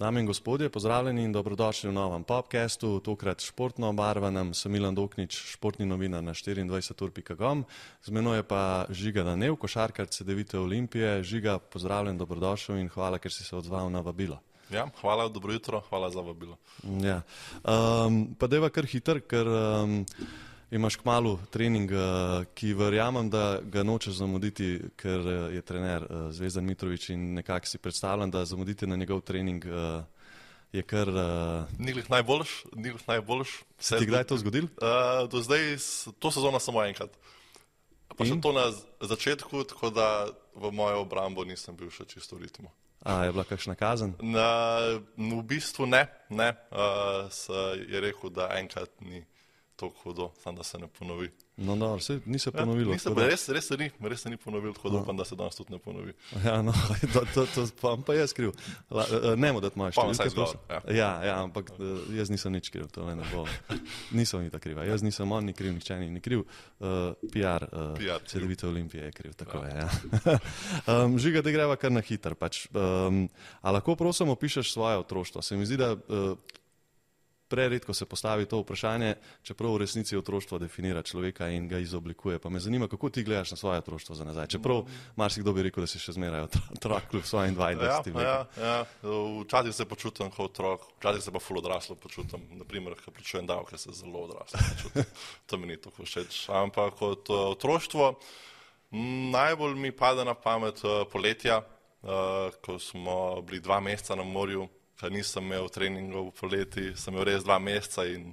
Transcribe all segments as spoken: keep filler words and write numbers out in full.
Dame in gospodje, pozdravljeni in dobrodošli v novem podcastu, tokrat športno obarvanem. Sem Milan Doknič, športni novinar na štiriindvajset ur pika com. Z menoj je pa Žiga Danev, košarkar Cedevite Olimpije. Žiga, pozdravljen, dobrodošel in hvala, ker si se odzval na vabilo. Ja, hvala, dobro jutro, hvala za vabilo. Ja. Um, pa deva kar hiter, ker um, imaš kmalu trening, uh, ki verjamem, da ga nočeš zamuditi, ker uh, je trener uh, Zvezdan Mitrović in nekako si predstavljam, da zamuditi na njegov trening uh, je kar... Uh... Ni glih najboljš, ni glih najboljš. Se ti kdaj to zgodil? Uh, do zdaj, to sezono samo enkrat. Pa še to na začetku, tako da v mojo obrambo nisem bil še čisto v ritmu. A, je bila kakšna kazen? Na, v bistvu ne, ne. Uh, se je rekel, da enkrat ni toliko hudo, samo da se ne ponovi. No, no, se, ni se ponovilo. Ja, da... res, res, se ni, res se ni ponovil, tako da upam, da se danes tudi ne ponovi. Ja, no, to, to, to pa, pa jaz kriv. La, nemo dati moje številke. Ja. Ja, ja, ampak jaz nisem nič kriv, to ne bo. Nisem ni ta kriva. Jaz nisem on, ni kriv, nihče ni, ni kriv. Uh, P R, uh, P R Cedevite Olimpije je kriv, tako ja. je. Ja. um, Žiga, da greva kar na hiter. Pač, um, a lahko prosim opišeš svoje otroštvo? Se mi zdi, da uh, preredko se postavi to vprašanje, čeprav v resnici otroštvo definira človeka in ga izoblikuje. Pa me zanima, kako ti gledaš na svoje otroštvo za nazaj. Čeprav marsikdo bi rekel, da si še zmeraj otrok kljub svojim dvaindvajsetim letom. Ja, ja, včasih se počutim kot otrok, včasih se pa ful odraslo počutim. Naprimer, ko plačujem davke, se zelo odraslo počutim. To mi ni tako všeč. Ampak kot otroštvo najbolj mi pade na pamet poletja, ko smo bili dva meseca na morju, ker nisem imel treningov v poleti, sem imel res dva meseca in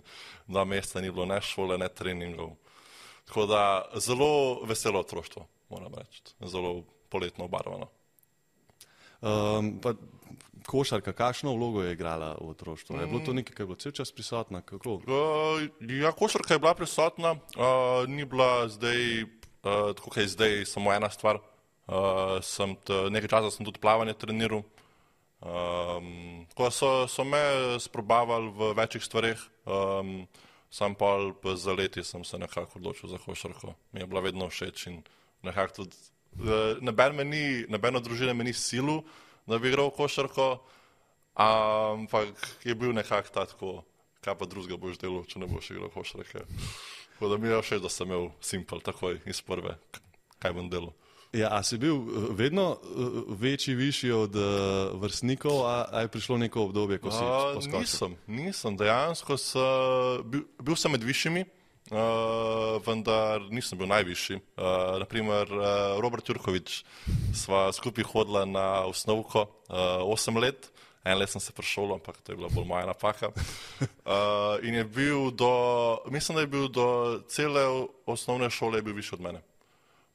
dva meseca ni bilo ne šole, ne treningov. Tako da zelo veselo otroštvo, moram reči, zelo poletno obarvano. Um, pa košarka, kakšno vlogo je igrala v otroštvu? Je bilo to nekaj, kar je bilo cel čas prisotna? Kako? Uh, ja, košarka je bila prisotna, uh, ni bila zdaj, uh, tako kaj zdaj, samo ena stvar. Uh, sem t, nekaj časa sem tudi plavanje treniral. Um, ko so, so me sprobavali v večjih stvareh, um, sam pa za leti sem se nekako odločil za košarko. Mi je bila vedno všeč in nekako tudi, nobena družina me ni silu, da bi igral košarko, ampak je bil nekako tako, kaj pa drugega boš delal, če ne boš igral košarke. Tako da mi je všeč, da sem imel simpel takoj iz prve, kaj bom delal. Ja, a si bil vedno večji, višji od uh, vrstnikov, a, a je prišlo neko obdobje, ko si uh, poskočil? Nisem, nisem, dejansko se, bil, bil sem med višjimi, uh, vendar nisem bil najvišji. Uh, naprimer, uh, Robert Jurković, sva skupaj hodila na osnovko uh, osem let, en let sem se prešolil, ampak to je bila bolj moja napaka. Uh, in je bil do, mislim, da je bil do cele osnovne šole je bil višji od mene.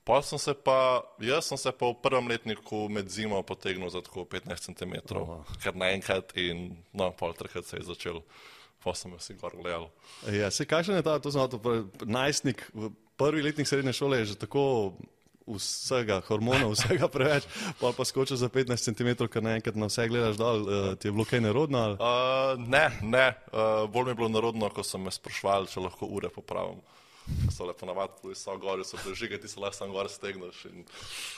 Pa sem se pa, jaz sem se pa v prvem letniku med zimo potegnil za tako petnajst centimetrov, oh. Ker naenkrat in no, pol trkrat se je začel, pa sem jo si gor gledal. Ja, se kakšen je ta, to znam, to najstnik, prvi letnik srednje šole je že tako vsega, hormonov, vsega preveč, pa pa skočil za petnajst centimetrov, ker naenkrat na vse gledaš dol, uh, ti je bilo kaj nerodno? Ali? Uh, ne, ne, uh, bolj mi je bilo nerodno, ko so me sprašvali, če lahko ure popravim. So lepo navadili, so gori, so prežige, ti se lahko sam gor stegnaš in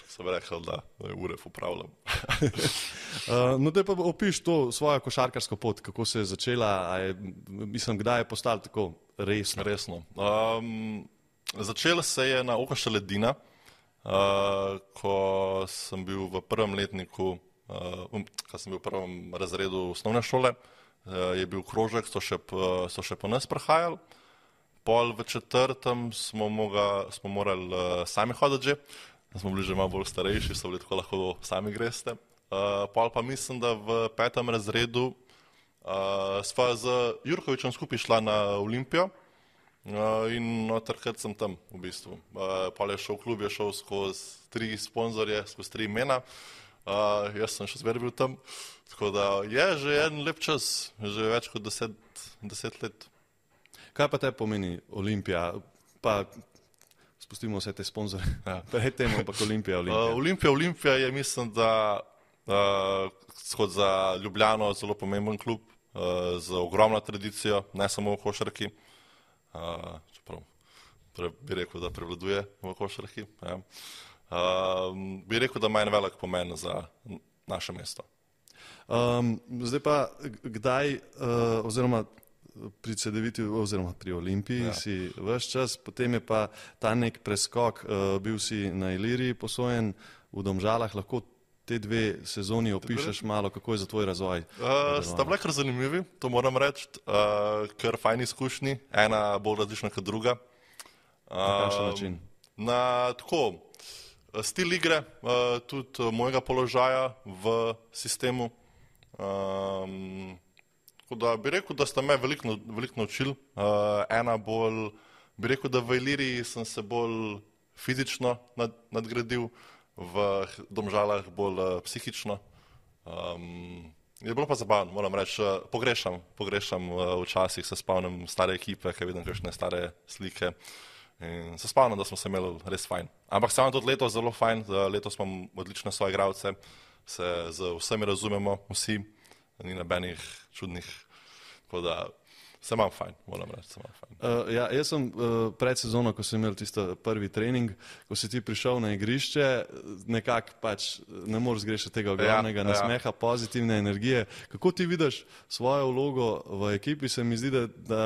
so mi rekli, da ure popravljam. uh, no, te pa opiš to svojo košarkarsko pot, kako se je začela, a je, mislim, kdaj je postalo tako resno? Resno. Um, začela se je na Okoša Ledina, uh, ko sem bil v prvem letniku, uh, ko sem bil v prvem razredu osnovne šole, uh, je bil krožek, so še, so še po nas prehajali. Pol v četrtem smo, moga, smo morali uh, sami hoditi že, smo bili že malo bolj starejši, so bili tako lahko sami greste. Uh, pol pa mislim, da v petem razredu uh, sva z Jurkovićem skupaj šla na Olimpijo uh, in no, takrat sem tam v bistvu. Uh, pol je šel v klub, je šel skozi tri sponzorje, skozi tri imena, uh, jaz sem še zmeraj bil tam, tako da je že en lep čas, že več kot deset, deset let. Kaj pa te pomeni Olimpija? Pa spustimo vse te sponzore. Ja. Pred tem, ampak Olimpija, Olimpija. Uh, Olimpija, Olimpija je, mislim, da uh, za Ljubljano zelo pomemben klub, uh, z ogromno tradicijo, ne samo v košarki. Uh, čeprav pre, bi rekel, da prevladuje v košarki. Ja. Uh, bi rekel, da ima en velik pomen za naše mesto. Um, zdaj pa, kdaj, uh, oziroma pri C D V-tu, oziroma pri Olimpiji ja. si ves čas, potem je pa ta nek preskok, uh, bil si na Iliriji posojen, v Domžalah, lahko te dve sezoni opišeš malo, kako je za tvoj razvoj? Uh, sta bile kar zanimivi, to moram reči, uh, ker fajni izkušnji, ena bolj različna kot druga. Uh, na kakšen način? Na tako, stil igre, uh, tudi mojega položaja v sistemu. Um, da bi rekel, da sta me veliko, veliko naučili. Uh, ena bolj, bi rekel, da v Iliriji sem se bolj fizično nad, nadgradil, v Domžalah bolj uh, psihično. Um, je bilo pa zabavno, moram reči, uh, pogrešam, pogrešam uh, včasih, se spomnim stare ekipe, kaj vidim kakšne stare slike. In se spomnim, da smo se imeli res fajn. Ampak se vam tudi letos zelo fajn, letos imam odlične svoje igralce, se z vsemi razumemo, vsi, ni nobenih čudnih, tako da se imam fajn, moram reči, se imam fajn. Uh, ja, jaz sem uh, pred sezono, ko sem imel tisto prvi trening, ko si ti prišel na igrišče, nekako pač ne moreš zgrešiti tega ogromnega ja, nasmeha, ja. pozitivne energije. Kako ti vidiš svojo vlogo v ekipi, se mi zdi, da, da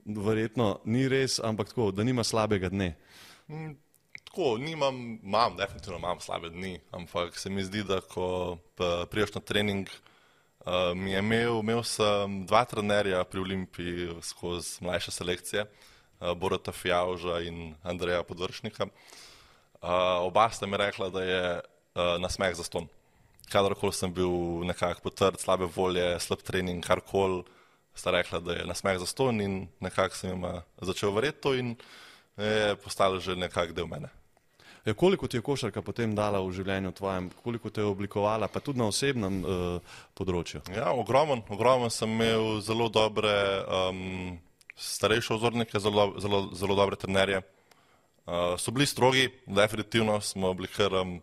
verjetno ni res, ampak tako, da nima slabega dne. Mm. Tako, nimam, imam, definitivno imam slabe dni, ampak se mi zdi, da ko priješ na trening, uh, mi je imel, imel sem dva trenerja pri Olimpiji skozi mlajše selekcije, uh, Borata Fijavža in Andreja Podvršnika. Uh, oba sta mi rekla, da je uh, nasmeh zastonj. Kadarkoli sem bil nekako potrd, slabe volje, slab trening, karkoli, sta rekla, da je nasmeh zastonj in nekako sem jima začel verjeti to in je postalo že nekako del mene. Ja, koliko ti je košarka potem dala v življenju tvojem, koliko te je oblikovala, pa tudi na osebnem uh, področju? Ja, ogromen, ogromen sem imel zelo dobre um, starejše vzornike, zelo, zelo, zelo dobre trenerje. Uh, so bili strogi, definitivno smo bili kar, um,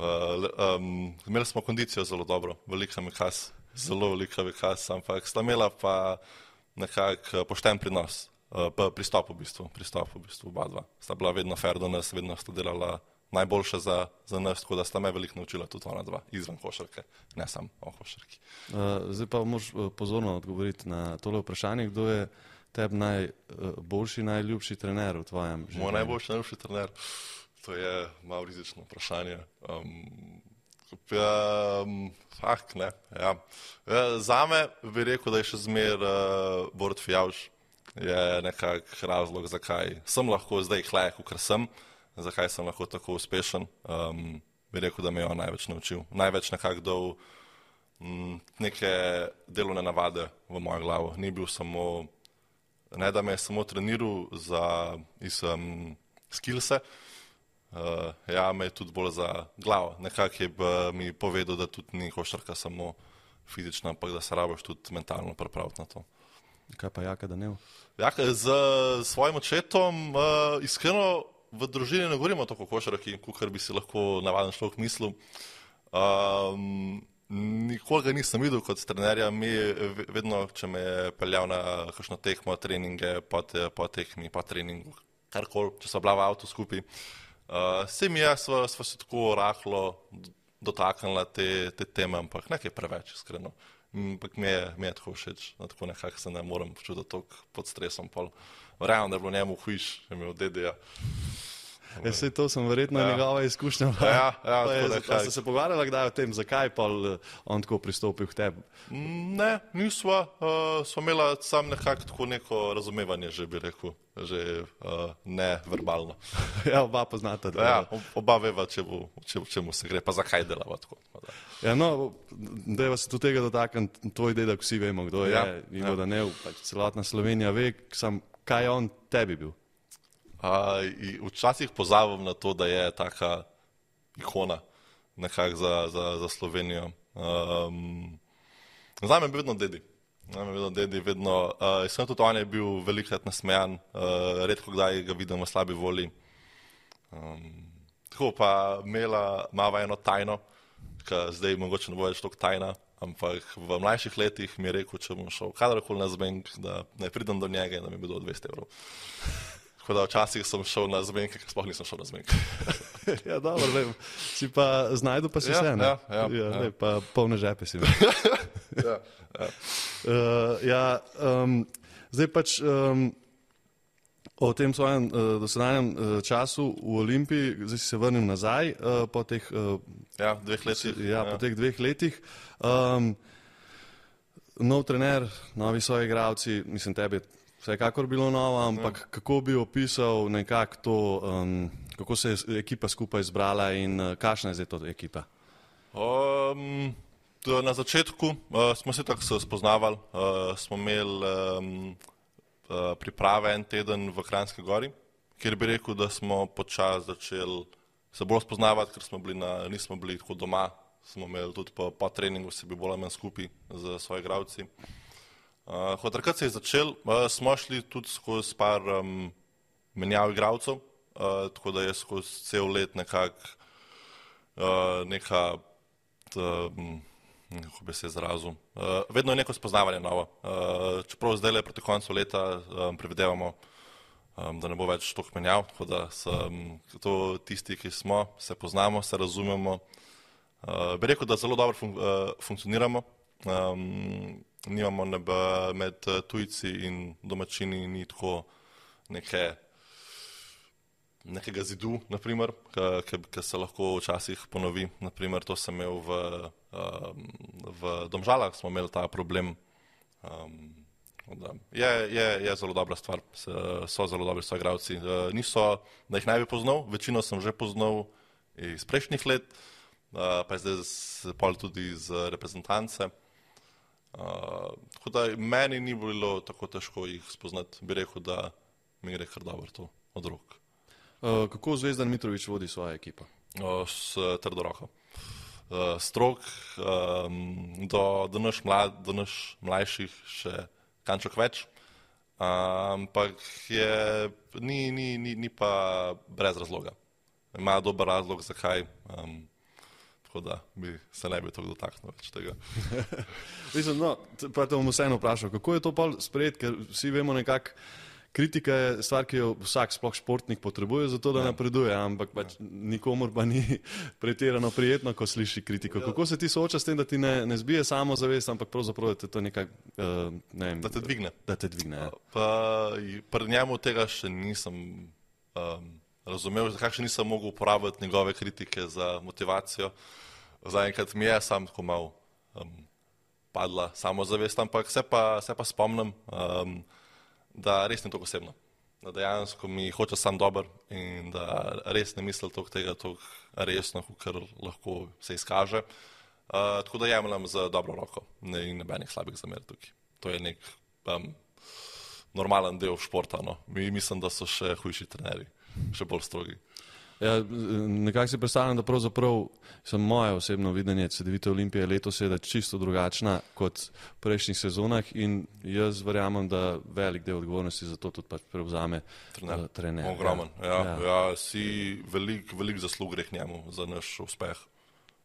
uh, um, imeli smo kondicijo zelo dobro, velika mikaz, zelo velika mikaz, ampak sta imela pa nekak pošten prinos. Pristop v bistvu, pristop v bistvu, oba dva. Sta bila vedno fair do nas, vedno sta delala najboljše za, za nas, tako da sta me veliko naučila tudi ona dva, izven košarke, ne samo o košarki. Uh, zdaj pa moraš pozorno odgovoriti na tole vprašanje, kdo je tebi najboljši, najljubši trener v tvojem življenju? Moj najboljši, najljubši trener, to je malo rizično vprašanje. Um, um, fakt, ne, ja. Zame bi rekel, da je še zmer uh, Borut Fijavž. Je nekak razlog, zakaj sem lahko zdaj hle, kakor sem, zakaj sem lahko tako uspešen. Um, bi rekel, da me je on največ naučil. Največ nekak dal m, neke delovne navade v mojo glavo. Ni bil samo, ne da me je samo treniral za iz, um, skillse, uh, ja, me je tudi bolj za glavo. Nekak je mi povedal, da tudi ni košarka samo fizična, ampak da se rabiš tudi mentalno pripraviti na to. Kaj pa Jaka Danev? Jaka, z svojim očetom uh, iskreno v družini ne govorimo tako košarki, kakor bi si lahko navaden človek mislil. Um, nikoli ga nisem videl kot trenerja, mi vedno, če me je peljal na kakšno tekmo, treninge, po, te, po tekmi, po treningu, karkoli, če so bila v avtu skupaj. Uh, se mi je, sva, sva se tako rahlo dotaknila te, te teme, ampak nekaj preveč, iskreno. Ampak mi je, mi je tako všeč, no, tako nekako se ne morem počutiti toliko pod stresom. Verjamem, da je bilo njemu hujš, je imel dedeja. Ja, sej to sem verjetno ja. njegova izkušnja. Ja, ja, je, zato, ste se pogovarjali kdaj o tem, zakaj pa on tako pristopil k tebi? Ne, nisva. Uh, sva imela sam nekako tako neko razumevanje, že bi rekel, že uh, ne verbalno. Ja, oba poznata. Ja, oba veva, če bo, če, čemu se gre, pa zakaj delava tako. Ja, no, dajva se tudi tega dotakniti, tvoj dedek, vsi vemo, kdo je, ja, Ivo ja. Danev, pač celotna Slovenija ve, sam, kaj je on tebi bil. Uh, včasih pozabim na to, da je taka ikona nekako za, za, za Slovenijo. Um, Zame je vedno dedi. Zame je vedno dedi, vedno. Uh, sem tudi on je bil velikrat nasmejan, uh, redko kdaj ga vidim v slabi volji. Um, tako pa imela mava eno tajno, ki zdaj mogoče ne bo več toliko tajna, ampak v mlajših letih mi je rekel, če bom šel kadarkoli na zmenk, da ne pridem do njega in da mi bi dal dvesto evrov. Tako da včasih sem šel na zmenke, ker sploh nisem šel na zmenke. Ja, dobro, lej, si pa znajdu pa si Ja, vse, ne? ja, ja, ja, ja. lej, pa polne žepe si imel. Ja, ja. Uh, ja, um, zdaj pač um, o tem svojem uh, dosedanjem uh, času v Olimpiji, zdaj si se vrnil nazaj uh, po teh, uh, ja, dveh letih. ja, ja. po teh dveh letih. Um, nov trener, novi svoji igralci, mislim, tebi je vsekakor bilo novo, ampak ja. Kako bi opisal nekako to, um, kako se je ekipa skupaj zbrala in uh, kakšna je zdaj to ekipa? Um, Na začetku uh, smo se tako spoznavali, uh, smo imeli um, uh, priprave en teden v Kranjski Gori, kjer bi rekel, da smo počasi začeli se bolj spoznavati, ker smo bili na, nismo bili tako doma, smo imeli tudi po, po treningu se bi bolj manj skupaj z svojimi igralci. Uh, takrat se je začel, uh, smo šli tudi skozi par um, menjav igralcev, uh, tako da je skozi cel let nekako uh, neka um, kako bi se izrazil. Uh, vedno je neko spoznavanje novo. Uh, čeprav zdaj le proti koncu leta um, previdevamo, um, da ne bo več toliko menjav, tako da sem to tisti, ki smo, se poznamo, se razumemo. Uh, bi rekel, da zelo dobro fun uh, funkcioniramo. Um, nimamo nebe med tujci in domačini ni tako neke nekega zidu, naprimer, ki se lahko včasih ponovi. Naprimer, to sem imel v, um, v Domžalah, smo imeli ta problem. Um, da je, je, je zelo dobra stvar, so zelo dobri soigralci. Uh, niso, da jih naj bi poznal, večino sem že poznal iz prejšnjih let, uh, pa je zdaj pol tudi iz reprezentance. Uh, tako da meni ni bilo tako težko jih spoznati, bi rekel, da mi gre kar dobro to od rok. Uh, kako Zvezdan Mitrović vodi svojo ekipo? Uh, s trdo roko. Uh, strok, um, do, do, naš mlad, do naš mlajših še kančok več, ampak um, ni, ni, ni, ni pa brez razloga. Ima dober razlog, zakaj, um, tako da bi se ne bi tako dotaknil več tega. Mislim, no, pa te bom vseeno vprašal, kako je to pol sprejet, ker vsi vemo nekako, kritika je stvar, ki jo vsak sploh športnik potrebuje za to, da ja. napreduje, ampak pač ja. nikomor pa ni pretirano prijetno, ko sliši kritiko. Ja. Kako se ti sooča s tem, da ti ne, ne zbije samozavest, ampak pravzaprav, da te to nekaj, uh, ne vem, da te dvigne. Da te dvigne, ja. Pa pri njemu tega še nisem um, razumel, zakaj še nisem mogel uporabiti njegove kritike za motivacijo. Zaenkrat mi je sam tako mal um, padla samozavest, ampak se pa, se pa spomnim, um, da res ni tako osebno, da dejansko mi hoče sam dober in da res ne misli toliko tega toliko resno, kar lahko se izkaže. Uh, tako da jemljem za dobro roko in nobenih slabih zamer tukaj. To je nek um, normalen del športa. No. Mi mislim, da so še hujši trenerji, še bolj strogi. Ja, nekako si predstavljam, da pravzaprav sem moje osebno videnje Cedevite Olimpije letos je, da je čisto drugačna kot v prejšnjih sezonah in jaz verjamem, da velik del odgovornosti za to tudi pač prevzame trener. trener. Ogromen. Ja, ja. Ja, si velik, velik zaslug gre k njemu za naš uspeh.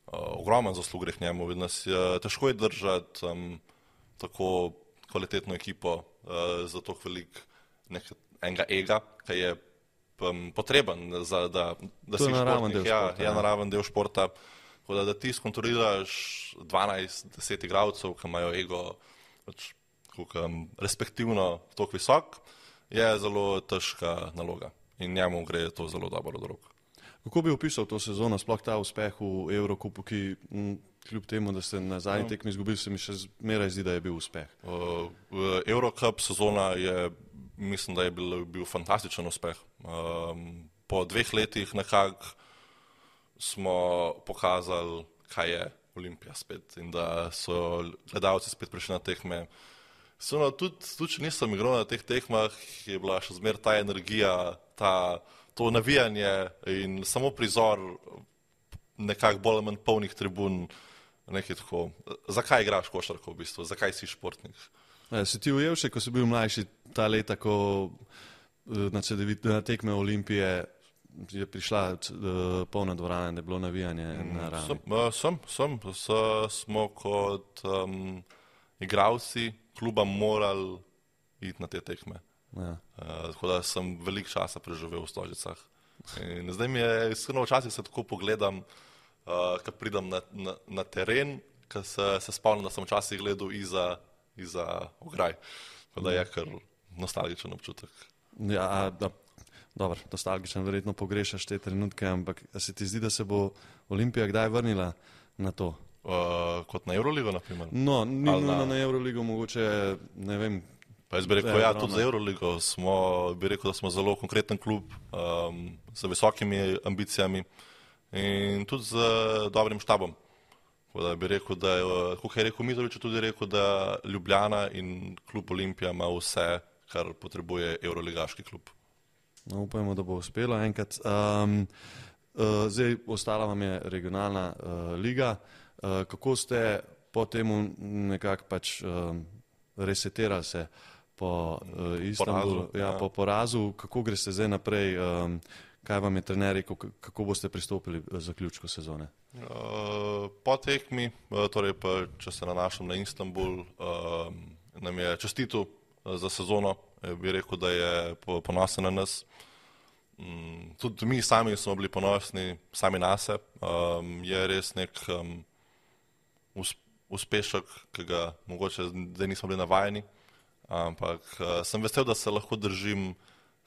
Uh, ogromen zaslug gre k njemu. Nas je, težko je držati um, tako kvalitetno ekipo uh, za to velik enega ega, ki je Um, potreben, za, da, da si naraven športnik, del ja, športa, ja, naraven del športa, da, da ti skontroliraš dvanajst deset igralcev, ki imajo ego pač, um, respektivno toliko visok, je zelo težka naloga in njemu gre to zelo dobro od rok. Kako bi opisal to sezono, sploh ta uspeh v Evrokupu, ki m, kljub temu, da ste na zadnji tekmi izgubili, se mi še zmeraj zdi, da je bil uspeh? Uh, Eurocup sezona je, mislim, da je bil, bil fantastičen uspeh. Um, po dveh letih nekako smo pokazali, kaj je Olimpija spet in da so gledalci spet prišli na tekme. No, tudi, tudi, če nisem igral na teh tekmah, je bila še zmer ta energija, ta, to navijanje in samo prizor nekako bolj manj polnih tribun. Nekaj tako. Zakaj igraš košarko v bistvu? Zakaj si športnik? Ja, si ti ujel še, ko si bil mlajši ta leta, ko na, na tekme Olimpije je prišla uh, polna dvorana, da je bilo navijanje na ravni? Sem, uh, sem, sem. S, smo kot um, igralci kluba morali iti na te tekme. Ja. Uh, tako da sem veliko časa preživel v Stožicah. In zdaj mi je iskreno včasih se tako pogledam, uh, ko pridem na, na, na teren, ko se, se spomnim, da sem včasih gledal iza, iza ograj. Tako da je kar nostalgičen občutek. Ja, da, dobro, nostalgičen, verjetno pogrešaš te trenutke, ampak se ti zdi, da se bo Olimpija kdaj vrnila na to? Uh, kot na Euroligo, na primer? No, ni nujno na... na Euroligo, mogoče, ne vem. Pa jaz bi rekel, ja, tudi za Euroligo smo, bi rekel, da smo zelo konkreten klub, um, z visokimi ambicijami in tudi z dobrim štabom. Da bi rekel, da je, kot je rekel Mitrović, tudi rekel, da Ljubljana in klub Olimpija ima vse, kar potrebuje euroligaški klub. No, upajmo, da bo uspelo enkrat. Um, uh, zdaj, ostala vam je regionalna uh, liga. Uh, kako ste po temu nekako pač um, resetirali se po uh, Istanbulu, porazu, ja, ja. po porazu, kako greste zdaj naprej, um, kaj vam je trener rekel, kako boste pristopili v zaključku sezone? Uh, po tekmi, torej pa, če se nanašam na Istanbul, uh, nam je čestitil za sezono, bi rekel, da je ponosen na nas. Um, tudi mi sami smo bili ponosni, sami nase. Um, je res nek um, uspešek, ki ga mogoče zdaj nismo bili navajeni, ampak uh, sem vesel, da se lahko držim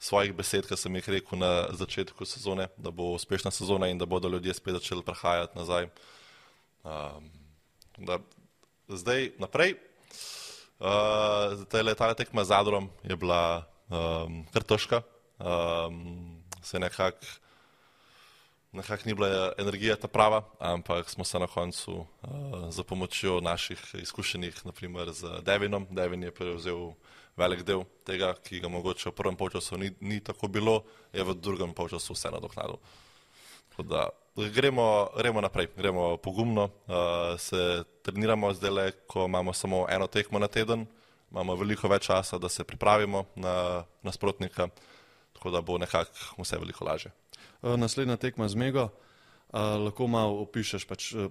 svojih besed, ki sem jih rekel na začetku sezone, da bo uspešna sezona in da bodo ljudje spet začeli prihajati nazaj. Um, da zdaj naprej, uh, ta tekma z Zadrom je bila um, kar težka, um, se nekako nekak ni bila energija ta prava, ampak smo se na koncu uh, za pomočjo naših izkušenih, naprimer z Devinom, Devin je prevzel velik del tega, ki ga mogoče v prvem polčasu ni, ni tako bilo, je v drugem polčasu vse nadoknadil. Tako da gremo, gremo naprej, gremo pogumno, uh, se treniramo zdaj, ko imamo samo eno tekmo na teden, imamo veliko več časa, da se pripravimo na nasprotnika, tako da bo nekako vse veliko lažje. Naslednja tekma z Mego, uh, lahko malo opišeš, pač, uh,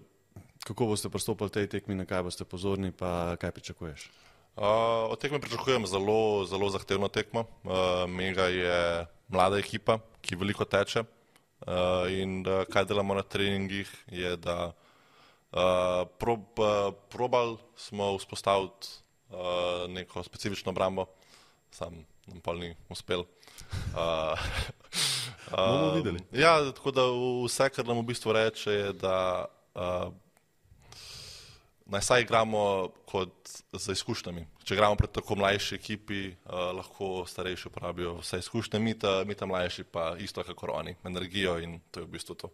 kako boste pristopili tej tekmi, na kaj boste pozorni, pa kaj pričakuješ? Uh, od tekme pričakujem zelo, zelo zahtevno tekmo. Uh, Mega je mlada ekipa, ki veliko teče uh, in uh, kaj delamo na treningih je, da uh, prob, uh, probali smo vzpostaviti uh, neko specifično obrambo, sam nam pol ni uspel. Uh, Bomo videli. Ja, tako da vse, kar nam v bistvu reče, je, da uh, naj saj igramo kot z izkušnjami. Če igramo pred tako mlajši ekipi, uh, lahko starejši uporabijo vse izkušnje, mi ta, mi ta mlajši pa isto kakor oni, energijo in to je v bistvu to.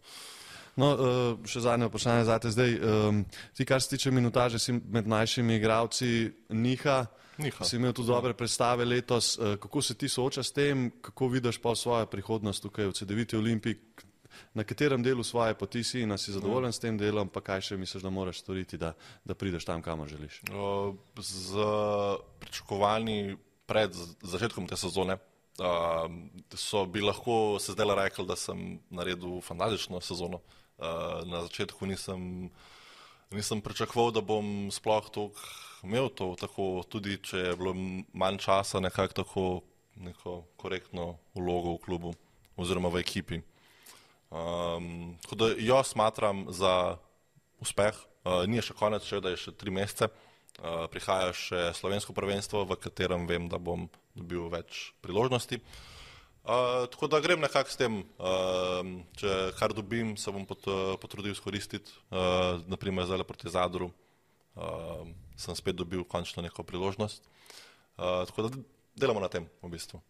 No, uh, še zadnje vprašanje zate zdaj. Um, ti, kar se tiče minutaže, si med mlajšimi igralci niha. Niha. Si imel tudi dobre predstave letos. Uh, kako se ti soočaš s tem, kako vidiš pa svojo prihodnost tukaj v Cedeviti Olimpiji? Na katerem delu svoje poti si in si zadovoljen s tem delom, pa kaj še misliš, da moraš storiti, da, da prideš tam, kamor želiš? Z pričakovanji pred začetkom te sezone so bi lahko se zdaj rekli, da sem naredil fantastično sezono. Na začetku nisem, nisem pričakoval, da bom sploh toliko imel to, tako, tudi če je bilo manj časa, nekako tako neko korektno vlogo v klubu oziroma v ekipi. Um, tako da jo smatram za uspeh, uh, ni še konec, še da je še tri mesece, uh, prihaja še slovensko prvenstvo, v katerem vem, da bom dobil več priložnosti. Uh, tako da grem nekako s tem, uh, če kar dobim, se bom pot, uh, potrudil izkoristiti, uh, naprimer zdaj proti Zadru, uh, sem spet dobil končno neko priložnost, uh, tako da delamo na tem v bistvu.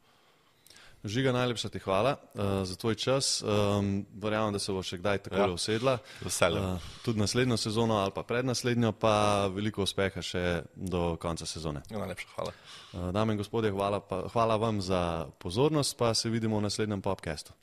Žiga, najlepša ti hvala uh, za tvoj čas. Um, verjamem, da se bo še kdaj takole ja, usedla. Veseljem. Uh, tudi naslednjo sezono ali pa prednaslednjo, pa veliko uspeha še do konca sezone. Ja, najlepša hvala. Uh, dame in gospodje, hvala, pa, hvala vam za pozornost, pa se vidimo v naslednjem podcastu.